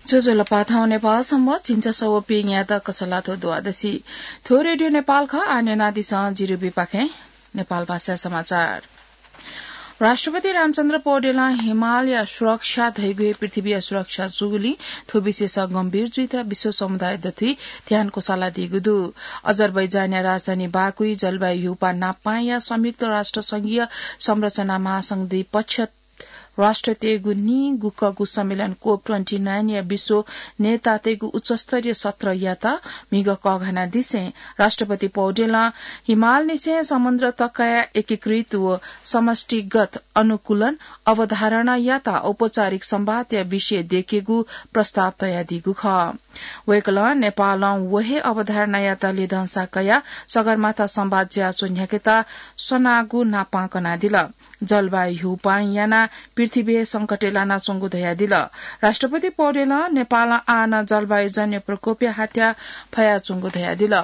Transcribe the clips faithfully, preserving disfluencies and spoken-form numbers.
ज्वजलपा, थौं नेपाल संवत् झिंछसः व पीन्यादँ कछलाथ्व द्वादशी। थ्व रेडियो नेपाल खः। आः न्यनादिसँ जिरुबीपाखें नेपाल भाषा समाचार। राष्ट्रपति रामचन्द्र पौडेलं हिमालया सुरक्षा धइगु हे पृथ्वीया सुरक्षा जूगुलिं थ्व विषयस गम्भीर जुइत विश्व समुदाय दथुइ ध्यान क्वसालादीगु दु। अजरबैजानया राजधानी बाकुइ जलवायु ह्यूपाः नापपांया संयुक्त राष्ट्र संघीय संरचना महासंधि पक्ष राष्ट्रतय्गु नीगुकःगु सम्मेलन कोप ट्वेन्टी नाइनया विश्व नेतातय्गु उच्चस्तरीय सत्रयात म्हिगः कःघानादिसें राष्ट्रपति पौडेलं हिमालनिसें समुद्र तकया एकीकृत व समष्टिगत अनुकूलन अवधारणायात औपचारिक संवादया विषय देकेगु प्रस्ताव तयादीगु खः। वय्कलं नेपालं व हे अवधारणायात ल्यय्धंसा कयाः सगरमाथा संवाद ज्याझ्वः न्ह्याकेत सनागु नापं कनादिल। जलवायु ह्यूपां यानाः पृथ्वी हे संकटय् लानाच्वंगु धयादिल। राष्ट्रपति पौडेलं नेपालं आः नं जलवायुजन्य प्रकोपया हाथ्या फयाच्वंगु धयादिल।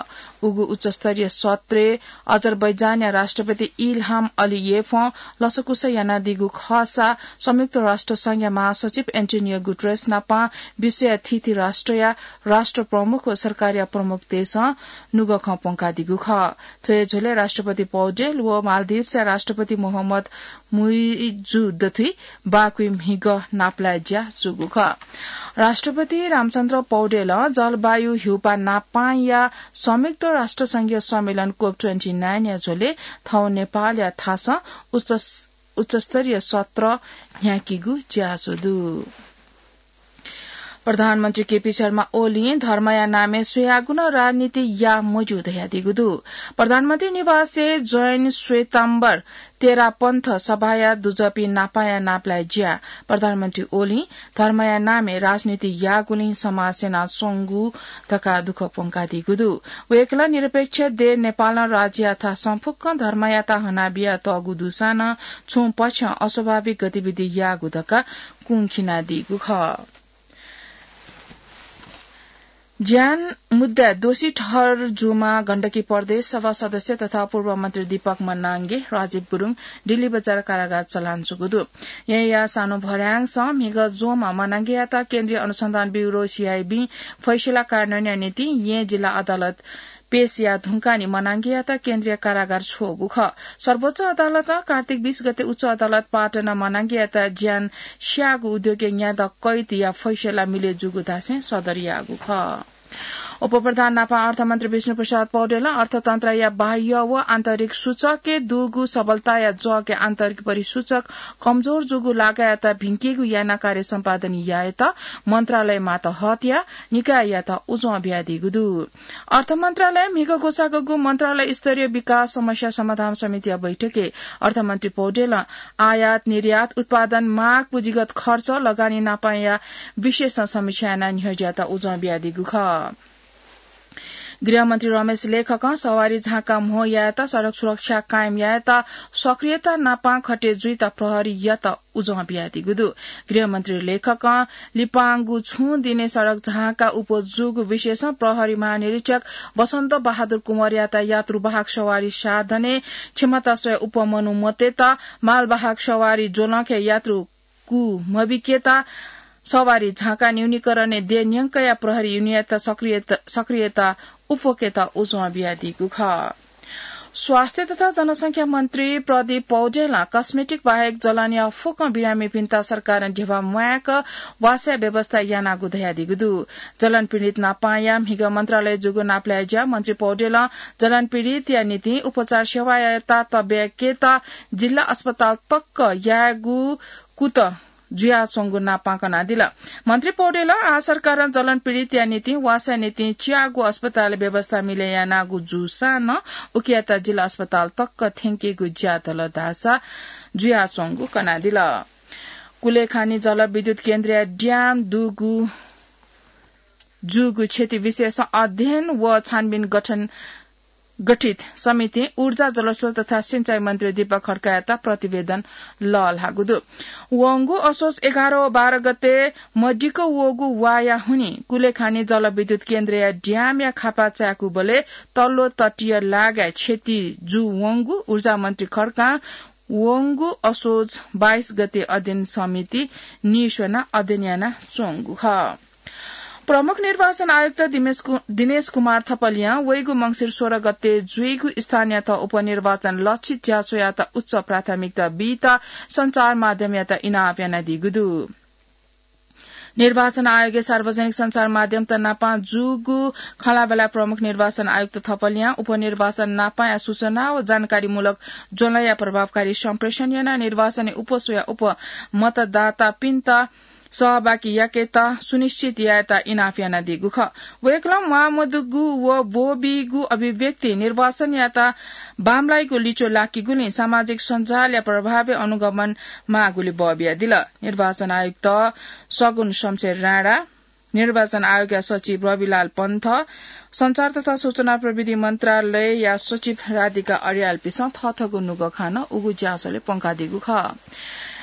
उगु उच्चस्तरीय सत्रय् अजरबैजानया राष्ट्रपति इल्हाम अलियेफं लसकुस यानादीगु खःसा संयुक्त राष्ट्र संघया महासचिव एन्टोनियो गुटरेस नापं विश्वया थीथी राष्ट्रया राष्ट्र प्रमुख व सरकारया प्रमुखतय्सं नुगः खँ प्वंकादीगु खः। थ्व हे झ्वलय् राष्ट्रपति पौडेल व मालदिभ्सया राष्ट्रपति मोहम्मद मुइज्जु दथुइ बाकुइ म्हिगः नापलाये ज्या जूगु खः। राष्ट्रपति रामचन्द्र पौडेलं जलवायु ह्यूपाः नापपांया संयुक्त राष्ट्र संघीय सम्मेलन कोप ट्वेन्टी नाइनया झ्वलय् थौं नेपालया थासं उच्च, उच्चस्तरीय सत्र न्ह्याकीगु ज्याझ्वः दु। प्रधानमन्त्री केपी शर्मा ओलीं धर्मया नामय् सुयागु नं राजनीति याः मज्यू धयादीगु दु। प्रधानमन्त्री निवासय् जैन श्वेताम्बर तेरापन्थ सभाया दुजःपिं नापाया नापलाये ज्या। प्रधानमन्त्री ओलीं धर्मया नामय् राजनीति याःगुलिं समाज स्यनाच्वंगु धकाः दुःख प्वंकादीगु दु। वय्कलं निरपेक्ष देय् नेपालं राज्यया थासं फुक्कं धर्मयात हनाबियातःगु दुसां नं छुं पक्षं अस्वाभाविक गतिविधि याःगु धकाः कुंखिनादीगु खः। ज्यान मुद्दाय् दोषी ठहर जूम्ह गण्डकी प्रदेश सभा सदस्य तथा पूर्व मन्त्री दीपक मनांगे, राजीव गुरुङ दिल्ली बजार कारागार चलान जूगु दु। येँया सानो भर्‍याङसं म्हिगः ज्वंम्ह मनांगेयात केन्द्रीय अनुसन्धान ब्यूरो, सीआईबी, फैसला कार्यान्वयनया निंतिं येँ जिल्ला अदालत पेश याः धुंकाः नि मनांगेयात केन्द्रीय कारागार छ्वःगु खः। सर्वोच्च अदालतं कार्तिक बीस गते उच्च अदालत पाटनं मनांगेयात ज्यान स्याःगु उद्योगय् न्यादँ कैदया फैसला मिले जूगु धासें सदर याःगु खः। उपप्रधान नापं अर्थमन्त्री विष्णुप्रसाद पौडेलं अर्थतन्त्रया बाह्य व आन्तरिक सूचकय् दुगु सबलताया जःके आन्तरिक परिसूचक कमजोर जूगु लागायात भिंकेगु यानाः कार्य सम्पादन यायेत मन्त्रालय मातहतया निकाययात उजं बियादीगु दु। अर्थ मन्त्रालय म्हिगः ग्वसाःगु मन्त्रालय स्तरीय विकास समस्या समाधान समितिया बैठकय् अर्थमन्त्री पौडेलं आयात निर्यात, उत्पादन, माग, पुँजीगत खर्च, लगानी नापंया विषयसं समीक्षा यानाः न्ह्यज्यात उजं बियादीगु खः। गृहमन्त्री रमेश लेखकं सवारी झाँका म्हो यायेत, सडक सुरक्षा कायम यायेत सक्रियता नापं खटे जुइत प्रहरीयात उजं बियादीगु दु। गृहमन्त्री लेखकं लिपांगु छुं दिने सडक झाँका उप जूगु विषयसं प्रहरी महानिरीक्षक बसन्त बहादुर कुँवरयात यात्रुवाहक सवारी साधनय् क्षमता स्वयाः उप मनु मतेत मालवाहक सवारी ज्वलंखय् यात्रु कू मबिकेत सवारी झाँका न्यूनीकरणय् देय् न्यंकया प्रहरी युनियनयात सक्रियता, सक्रियता उप्वकेत उजं बियादीगु खः। स्वास्थ्य तथा जनसंख्या मन्त्री प्रदीप पौडेलं कस्मेटिक बाहेक जलनया फुक्क बिरामीपिन्त सरकारं ध्यबा म्वायेक वासया व्यवस्था यानागु धयादीगु दु। जलन पीडित नापंया म्हिगः मन्त्रालय जूगु नापलाये ज्या मन्त्री पौडेलं जलन पीडितया निंतिं उपचार सेवायात तब्याकेत जिल्ला अस्पताल तक यायेगु कुतः जुयाच्वंगु नापं कनादिल। मन्त्री पौडेलं आः सरकारं जलन पीडितया निंतिं वासया निंतिं च्याःगु अस्पताल व्यवस्था मिले यानागु जूसां नं उकियात जिल्ला अस्पताल तक थ्यंकेगु ज्या दल धाःसा जुयाच्वंगु कनादिल। कुलेखानी जलविद्युत केन्द्रया ड्याम दुगु, जूगु क्षति विषयसं अध्ययन व छानबिन गठन गठित समितिं ऊर्जा, जलस्रोत तथा सिँचाइ मन्त्री दीपक खड्कायात प्रतिवेदन लःल्हाःगु दु। वंगु असोज एघार व बाह्र गते मदिक्क वःगु वाया हुनिं कुलेखानी जलविद्युत केन्द्रया ड्यामया खापा चाय्कूबलय् तल्लो तटीय लागाय् क्षति जूवंगु ऊर्जा मन्त्री खड्कां वंगु असोज बाइस गते अध्ययन समिति निस्वनाः अध्ययन यानाच्वंगु खः। प्रमुख निर्वाचन आयुक्त दिमेश कु-, दिनेश कुमार थपलियां वइगु मंसिर सोह्र गते जुइगु स्थानीय तह उपनिर्वाचन लक्षित ज्याझ्वःयात उच्च प्राथमिकता बीत सञ्चार माध्यमयात इनाप यानादीगु दु। निर्वाचन आयोगया सार्वजनिक सञ्चार माध्यमत नापां जूगु खँल्हाबल्हाय् प्रमुख निर्वाचन आयुक्त थपलियां उपनिर्वाचन नापांया सूचना व जानकारीमूलक ज्वलंया प्रभावकारी सम्प्रेषण यानाः निर्वाचनय् उपस्वया उपमतदातापिन्त सहभागी याकेत सुनिश्चित यायेत इनाप यानादीगु खः। वय्कलं म्वाःमदुगु व ब्वःबीगु अभिव्यक्ति निर्वाचनयात बांमलाइगु लिच्वः लाकीगुलिं सामाजिक सञ्जालया प्रभावय् अनुगमन माःगुलि बः बियादिल। निर्वाचन आयुक्त सगुन शमशेर राणा, निर्वाचन आयोगया सचिव रविलाल पन्थ, सञ्चार तथा सूचना प्रविधि मन्त्रालयया सचिव राधिका अर्यालपिसं थःथःगु नुगः खाना उगु ज्याझ्वलय् प्वंकादीगु खः।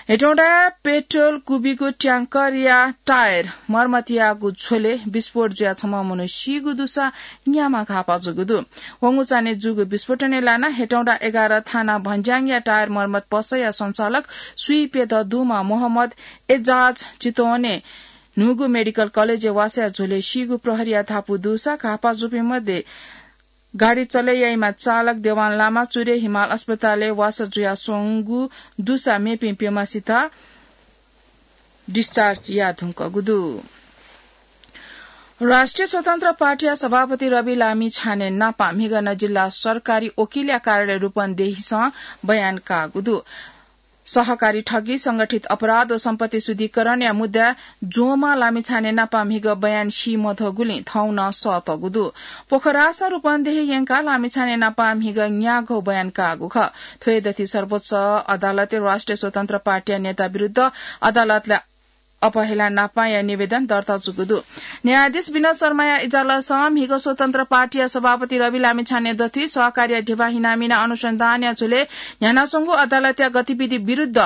हेटौंडाय् पेट्रोल कुबीगु ट्याङ्करया टायर मर्मत याःगु झ्वलय् विस्फोट जुयाः छम्ह मनू सीगु दुसा न्याम्ह घाःपा जूगु दु। वंगु चान्हय् जूगु विस्फोटनय् लानाः हेटौंडा एघार थाना भन्ज्याङया टायर मर्मत पसलया सञ्चालक स्वीप्यदँ दुम्ह मोहम्मद एजाज चितवनय् न्हूगु मेडिकल कलेजय् वासः याः झ्वलय् सीगु प्रहरीया धापू दुसा घाःपा जूपिं मध्ये गाडी चले याइम्ह चालक देवान लामा चुरे हिमाल अस्पतालय् वासः जुयाः स्वंगु दुसा मेपिं प्यम्हसित डिस्चार्ज याये धुंकूगु दु। राष्ट्रिय स्वतन्त्र पार्टीया सभापति रवि लामिछाने नापं म्हिगः नं जिल्ला सरकारी वकिलया कार्यालय रूपन्देहीसं बयान काःगु दु। सहकारी ठगी, संगठित अपराध व सम्पत्ति शुद्धिकरणया मुद्दा ज्वंम्ह लामिछाने नापं म्हिगः बयान सी मधुगुलिं थौं नं सःतःगु दु। पोखरासं रूपन्देही यंकाः लामिछाने नापं म्हिगः न्यागू बयान काःगु खः। थ्व हे दथुइ सर्वोच्च अदालतय् राष्ट्रिय स्वतन्त्र पार्टीया नेता विरुद्ध अदालतय् अपहेला नापांया निवेदन दर्ता जूगु दु। न्यायाधीश विनोद शर्माया इजलासं म्हिगः स्वतन्त्र पार्टीया सभापति रवि लामिछाने दथुइ सहकारीया धिबा हिनामिना अनुसन्धानया झ्वलय् न्ह्यानाच्वंगु अदालतया गतिविधि विरुद्ध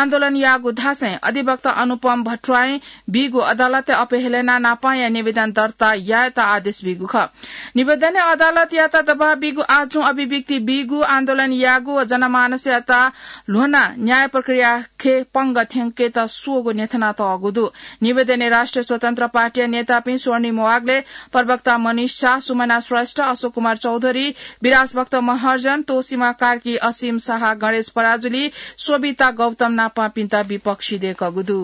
आन्दोलन याःगु धासें अधिवक्ता अनुपम भट्टराईं बीगु अदालतय् अपहेलना नापांया निवेदन दर्ता यायेत आदेश बीगु खः। निवेदनय् अदालतयात दबाब बीगु आजुं अभिव्यक्ति बीगु, आन्दोलन याःगु व जनमानसयात ल्ह्वनाः न्याय प्रक्रिया खँय् पंगः थ्यंकेत स्वःगु न्ह्यथनातःगु दु। निवेदनय् राष्ट्रिय स्वतन्त्र पार्टीया नेतापिं स्वर्णिम वाग्ले, प्रवक्ता मनिष शाह, सुमना श्रेष्ठ, अशोक कुमार चौधरी, विराज भक्त महर्जन, तोसीमा कार्की, असीम शाह, गणेश पराजुली, शोभिता गौतम नापांपिन्त विपक्षी दय्कूगु दु।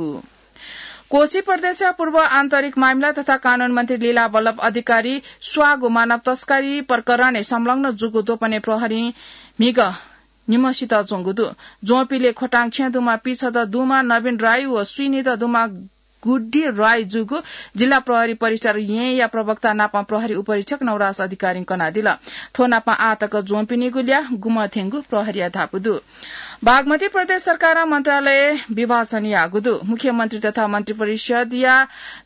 कोशी प्रदेशया पूर्व आन्तरिक मामिला तथा कानून मन्त्री लीला वल्लभ अधिकारी स्वाःगु मानव तस्करी प्रकरणय् संलग्न जूगु द्वपनय् प्रहरीं म्हिगः निम्हसित ज्वंगु दु। ज्वंपिले खोटाङ छेँ दुम्ह पीछदँ दुम्ह नवीन राई व स्वीनिदँ दुम्ह गुड्डी राई जूगु जिल्ला प्रहरी परिसर येँया प्रवक्ता नापं प्रहरी उपरीक्षक नवराज अधिकारीं कनादिल। थ्व नापं आः तक ज्वंपिनिगु ल्याः गुम्ह थ्यंगु प्रहरीया धापू दु। बागमती प्रदेश सरकारं मन्त्रालय विभाजन याःगु दु। मुख्यमन्त्री तथा मन्त्रिपरिषदया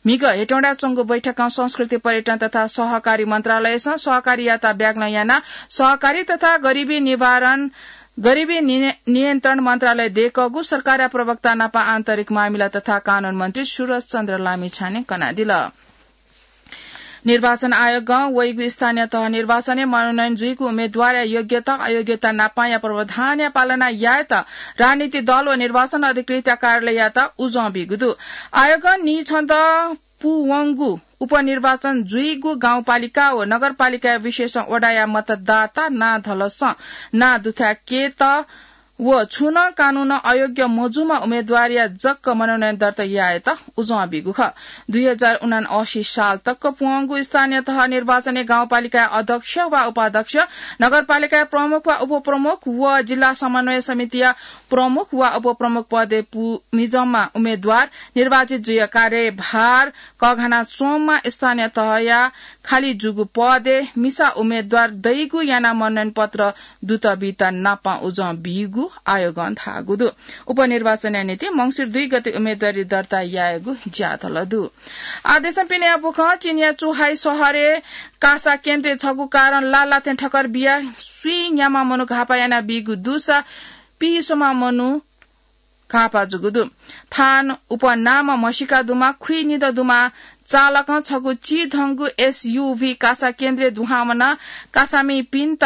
म्हिगः हेटौँडाय् च्वंगु बैठकं संस्कृति, पर्यटन तथा सहकारी मन्त्रालयसं सहकारीयात ब्यागलं यानाः सहकारी तथा गरिबी निवारण गरिबी नि-, नियन्त्रण मन्त्रालय दय्कूगु सरकारया प्रवक्ता नापं आन्तरिक मामिला तथा कानून मन्त्री सुरज चन्द्र लामिछानें कनादिल। निर्वाचन आयोगं वइगु स्थानीय तह निर्वाचनय् मनोनयन जुइगु उम्मेद्वारया योग्यता अयोग्यता नापंया प्रावधानया पालना यायेत राजनीतिक दल व निर्वाचन अधिकृतया कार्यालययात उजं बीगु दु। आयोगं नीछदँ पूवंगु उपनिर्वाचन जुइगु गाउँपालिका व नगरपालिकाया विशेष वडाया मतदाता नां धलसं नां दुथ्याकेत व छुं नं कानूनं अयोग्य मजूम्ह उम्मेद्वारया जक मनोनयन दर्ता यायेत उजं बीगु खः। दुई हजार उनासी साल तक पूवंगु स्थानीय तह निर्वाचनय् गाउँपालिकाया अध्यक्ष वा उपाध्यक्ष, नगरपालिकाया प्रमुख वा उपप्रमुख व जिल्ला समन्वय समितिया प्रमुख वा उपप्रमुख पदय् पु-, मिजंम्ह उम्मेद्वार निर्वाचित जुयाः कार्यभार कःघाना च्वंम्ह स्थानीय तहया खाली जूगु पदय् मिसा उम्मेद्वार दइगु यानाः मनोनयन पत्र दुत बीत नापं उजं बीगु आयोगं धाःगु दु। उपनिर्वाचनया निंतिं मंसिर दुई गते उम्मेद्वारी दर्ता यायेगु ज्याझ्वः दु। आदेशं पिने बुखं चीनया चुहाई शहरय् कासा केन्द्रय् छगू कारं लालाथें ठक्कर बियाः स्वीन्याम्ह मनू घाःपा यानाबीगु दुसा पीस्वम्ह मनू घाःपा जूगु दु। फान उपनाम म्हसीका दुम्ह खुइनिदँ दुम्ह चालकं छगू चिधंगु एसयुभी कासा केन्द्रय् दुहां वनाः कासामिपिन्त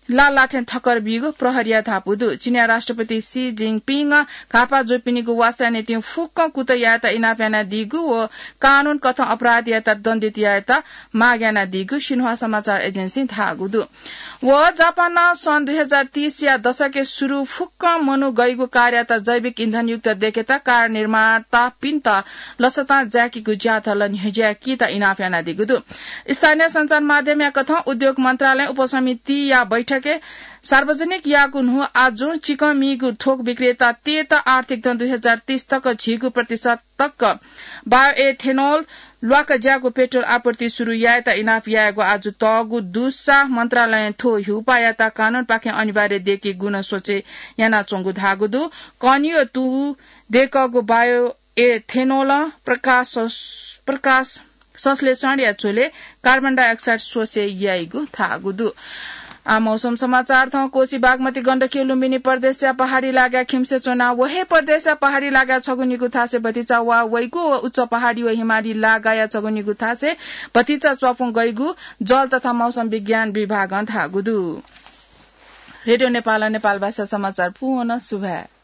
लालाथें ठक्कर बीगु प्रहरीया धापू दु। चीनया राष्ट्रपति सी जिनपिंगं घाःपाः जूपिनिगु वासया निंतिं फुक्कं कुतः यायेत इनाप यानादीगु व कानून कथं अपराधीयात दण्डित यायेत माग यानादीगु सिन्हुवा समाचार एजेन्सीं धाःगु दु। व जापानं सन् दुई हजार तीसया दशकय् सुरु फुक्कं मनू गइगु कारयात जैविक इन्धनयुक्त देकेत कार निर्मातापिन्त लसतां जाय्‌कीगु ज्याझ्वः न्ह्यज्याय्‌कीत इनाप यानादीगु दु। स्थानीय सञ्चार माध्यमया कथं उद्योग मन्त्रालय उपसमितिया बैठकय् सार्वजनिक याःगु न्हू आजुं चिकंमीगु थोक विक्रेतातय्‌त आर्थिक दँ दुई हजार तीस तक झिगू प्रतिशत तक बायोएथेनोल ल्वाका ज्याःगु पेट्रोल आपूर्ति सुरु यायेत इनाप यायेगु आजु तःगु दुसा मन्त्रालयं थ्व ह्यूपाःयात कानूनपाखें अनिवार्य देकेगु नं सोचे यानाच्वंगु धाःगु दु। कनियो तु देकःगु बायोएथेनोलं प्रकाश, प्रकाश संश्लेषणया झ्वलय् कार्बन डाइअक्साइड सोसे याइगु धाःगु दु। आ, मौसम समाचार थौं कोसी बागमती गण्डकी लुम्बिनी प्रदेशया पहाडी लागाय् खिम्से च्वना। व हे प्रदेशया पहाडी लागाय् छगू निगू थासय् भतिचा वा वइगु व उच्च पहाडी व हिमाली लागाया छगू निगू थासय् भतिचा च्वापुं गइगु जल तथा मौसम विज्ञान विभागं धाःगु दु। रेडियो नेपालं नेपाल भाषा समाचार पूवं सुभाय्।